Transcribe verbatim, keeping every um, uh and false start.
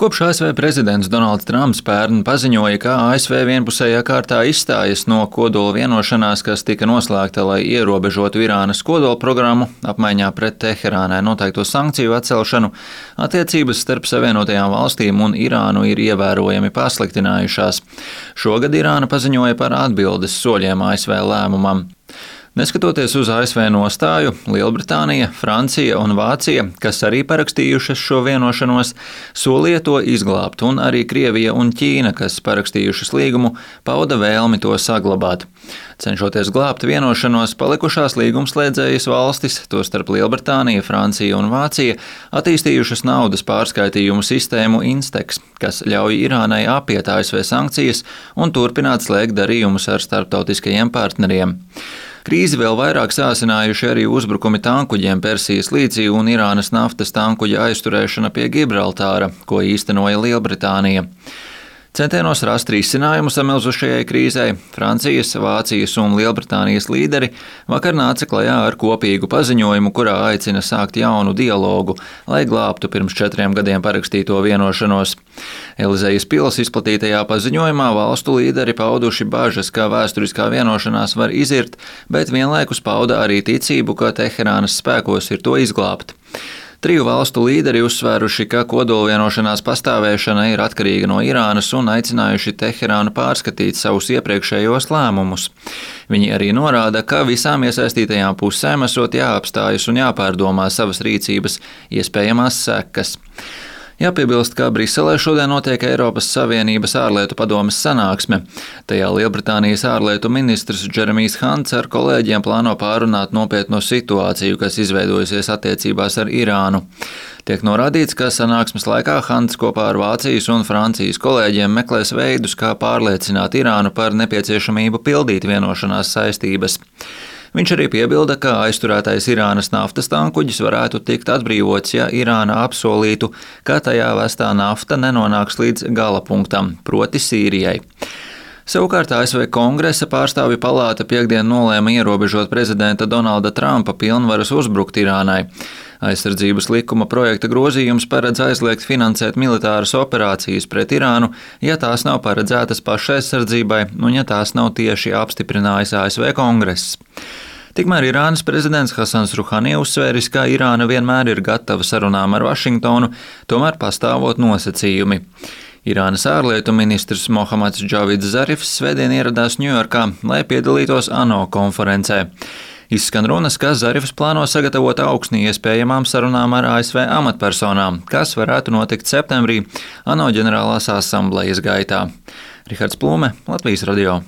Kopš A S V prezidents Donalds Trumps pērn paziņoja, ka A S V vienpusējā kārtā izstājas no kodola vienošanās, kas tika noslēgta, lai ierobežotu Irānas kodola programmu, apmaiņā pret Teherānai noteikto sankciju atcelšanu, attiecības starp Savienotajām valstīm un Irānu ir ievērojami pasliktinājušās. Šogad Irāna paziņoja par atbildes soļiem A S V lēmumam. Neskatoties uz A S V nostāju, Lielbritānija, Francija un Vācija, kas arī parakstījušas šo vienošanos, solīja to izglābt, un arī Krievija un Ķīna, kas parakstījušas līgumu, pauda vēlmi to saglabāt. Cenšoties glābt vienošanos, palikušās līgumslēdzējas valstis, tostarp Lielbritānija, Francija un Vācija, attīstījušas naudas pārskaitījumu sistēmu Instex, kas ļauj Irānai apiet A S V sankcijas un turpināt slēgt darījumus ar starptautiskajiem partneriem. Krīzi vēl vairāk sāsinājuši arī uzbrukumi tankuģiem Persijas līcī un Irānas naftas tankuģa aizturēšana pie Gibraltāra, ko īstenoja Lielbritānija. Centienos rast risinājumu samilzušajai krīzei, Francijas, Vācijas un Lielbritānijas līderi vakar nāca klajā ar kopīgu paziņojumu, kurā aicina sākt jaunu dialogu, lai glābtu pirms četriem gadiem parakstīto vienošanos. Elizejas pils izplatītajā paziņojumā valstu līderi pauduši bažas, ka vēsturiskā vienošanās var izirt, bet vienlaikus pauda arī ticību, ka Teherānas spēkos ir to izglābt. Triju valstu līderi uzsvēruši, ka kodolvienošanās pastāvēšana ir atkarīga no Irānas un aicinājuši Teherānu pārskatīt savus iepriekšējos lēmumus. Viņi arī norāda, ka visām iesaistītajām pusēm esot jāapstājas un jāpārdomā savas rīcības iespējamās sekas. Jāpiebilst, ka Briselē šodien notiek Eiropas Savienības ārlietu padomes sanāksme. Tajā Lielbritānijas ārlietu ministrs Džeremijs Hants ar kolēģiem plāno pārunāt nopietno situāciju, kas izveidojusies attiecībās ar Irānu. Tiek norādīts, ka sanāksmes laikā Hants kopā ar Vācijas un Francijas kolēģiem meklēs veidus, kā pārliecināt Irānu par nepieciešamību pildīt vienošanās saistības. Viņš arī piebilda, ka aizturētais Irānas naftas tankuģis varētu tikt atbrīvots, ja Irāna apsolītu, ka tajā vestā nafta nenonāks līdz gala punktam, proti Sīrijai. Savukārt A S V Kongresa pārstāvju palāta piekdien nolēma ierobežot prezidenta Donalda Trumpa pilnvaras uzbrukt Irānai. Aizsardzības likuma projekta grozījums paredz aizliegt finansēt militāras operācijas pret Irānu, ja tās nav paredzētas pašaizsardzībai un ja tās nav tieši apstiprinājis A S V Kongress. Tikmēr Irānas prezidents Hasans Ruhani uzsvēris, ka Irāna vienmēr ir gatava sarunām ar Vašingtonu, tomēr pastāvot nosacījumi. Irānas ārlietu ministrs Mohammads Džavids Zarifs svētdien ieradās Ņujorkā, lai piedalītos ANO konferencē. Izskan runas, ka Zarifs plāno sagatavot augsni iespējamām sarunām ar A S V amatpersonām, kas varētu notikt septembrī ANO ģenerālās asamblejas gaitā. Rihards Plume, Latvijas radio.